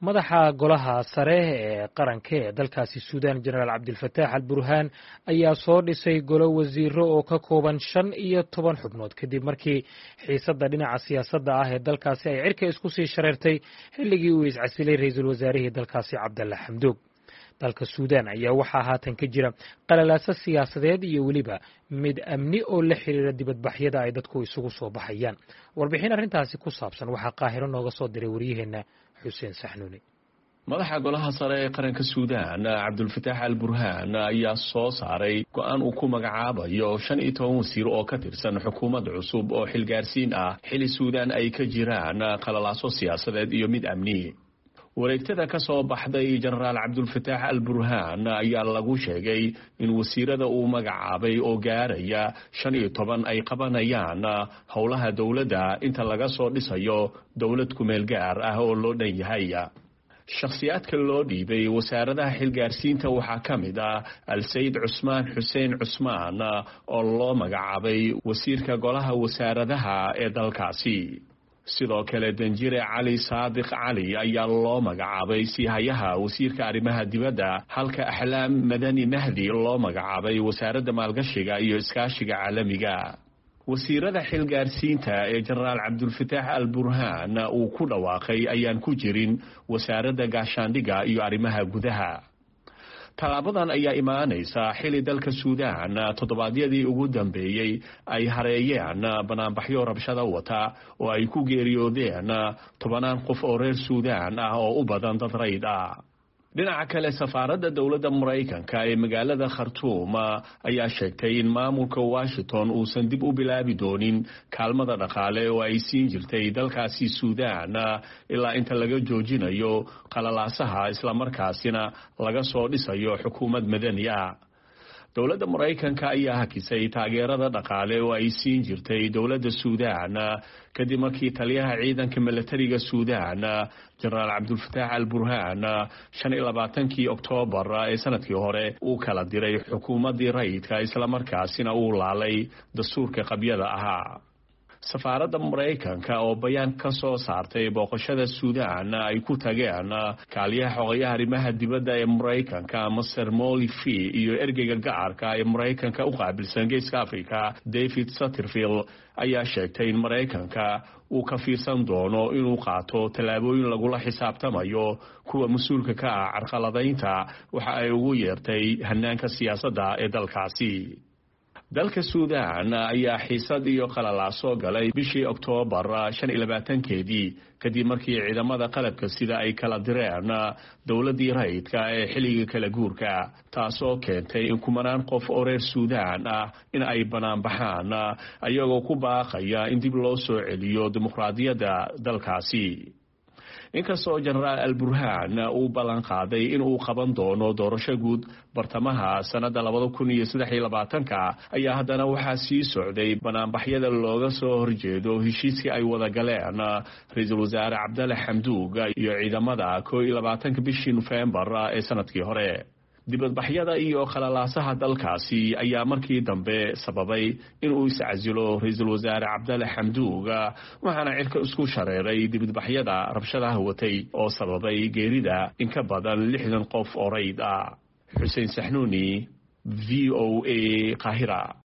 Madaxa golaha sare ee qaranka ee dalkaasi Suudaan, Jenaraal Cabdilfataax Al Burhaan, ayaa soo dhisay golo wasiiro oo ka kooban 15 xubnood, kadib markii xiisadda dhinaca siyaasadda ah ee dalkaasi ay cirka isku sii shareertay xilligii uu iscasilay ra-iisul wasaarihii dalkaasi Cabdalla Xamdoog. Dalka Suudaan ayaa waxaa haatan ka jira qalalaaso siyaasadeed iyo weliba mid amni oo la xiriira dibadbaxyada ay dadku isugu soo baxayaan. Warbixin arrintaasi ku saabsan waxaa Qaahiro nooga soo diray waryaheenna Xuseen Saxnuuni. Madaxa golaha sare ee qaranka Suudaan, Cabdulfataax Al Burhaan, ayaa soo saaray go-aan uu ku magacaabayo 15 wasiir oo ka tirsan xukuumad cusub oo xilgaarsiin ah, xili Suudaan ay ka jiraan qalalaaso siyaasadeed iyo mid amni. Wareegtada ka soo baxday Jenaraal Cabdulfataax Al Burhaan ayaa lagu sheegay in wasiirada uu magacaabay oo gaaraya 15 ay qabanayaan howlaha dowladda inta laga soo dhisayo dowlad kumeel gaar ah oo loo dhan yahay. Shakhsiyaadka loo dhiibay wasaaradaha xilgaarsiinta waxaa ka mid ah Alsayid Cusmaan Xuseen Cusmaan oo loo magacaabay wasiirka golaha wasaaradaha ee dalkaasi. Sidoo kale, Danjire Cali Saadiq Cali ayaa loo magacaabay siihayaha wasiirka arrimaha dibadda, halka Axlaam Madani Mahdi loo magacaabay wasaaradda maalgashiga iyo iskaashiga caalamiga. Wasiirada xilgaarsiinta ee Jenaraal Cabdulfataax Al Burhaan uu ku dhawaaqay ayaan ku jirin wasaaradda gaashaandhigga iyo arrimaha gudaha. Tallaabadan ayaa imaanaysa xili dalka Suudaan toddobaadyadii ugu dambeeyey ay hareeyeen banaanbaxyo rabshada wata oo ay ku geeriyoodeen tobanaan qof oo reer Suudaan ah oo u badan dad rayd ah. Dhinaca kale, safaaradda dowladda Maraykanka ee magaalada Khartuum ayaa sheegtay in maamulka Washington uusan dib u bilaabi doonin kaalmada dhaqaale oo ay siin jirtay dalkaasi Suudaan ilaa inta laga joojinayo qalalaasaha, islamarkaasina laga soo dhisayo xukuumad madani ah. Dowladda Maraykanka ayaa hakisay taageerada dhaqaale oo ay siin jirtay dowladda Suudaan kadib markii taliyaha ciidanka milatariga Suudaan, Jenaraal Cabdulfataax Al Burhaan, 25-kii Oktoobar ee sanadkii hore uu kala diray xukuumaddii rayidka, islamarkaasina uu laalay dastuurka qabyada ahaa. Safaaradda Maraykanka oo bayaan ka soo saartay booqashada Suudaan ay ku tageen kaaliyaha xogayaha arrimaha dibadda ee Maraykanka, Master Molly Fee, iyo ergeyga gacarka ee Maraykanka u qaabilsan Geeska Africa, David Satterfield, ayaa sheegtay in Maraykanka uu ka fiirsan doono inuu qaato tallaabooyin lagula xisaabtamayo kuwa mas-uulka ka ah carqaladaynta waxa ay ugu yeertay hanaanka siyaasadda ee dalkaasi. Dalka Suudaan ayaa xiisad iyo qalalaaso galay bishii Oktoobar 25-keedii, kadib markii ciidamada qalabka sida ay kala direen dowladdii rayidka ee xilliga kala guurka, taasoo keentay in kumanaan qof oo reer Suudaan ah in ay banaanbaxaan ayagoo ku baaqaya in dib loo soo celiyo dimuqraadiyadda dalkaasi. Inkastoo Jenaraal Al Burhaan uu ballan qaaday in uu qaban doono doorasho guud bartamaha sannadda 2023-ka, ayaa haddana waxaa sii socday banaanbaxyada looga soo horjeedo heshiiskii ay wada galeen ra-iisul wasaare Cabdalle Xamduug iyo ciidamada 21-ka bishii Nofembar ee sanadkii hore. Dibadbaxyada iyo qalalaasaha dalkaasi ayaa markii dambe sababay inuu iscasilo ra-iisul wasaare Cabdalle Xamduug, waxaana cirka isku shareeray dibadbaxyada rabshadaha watay oo sababay geerida in ka badan 60 qof oo rayd ah. Xuseen Saxnuuni, V O A, Qaahira.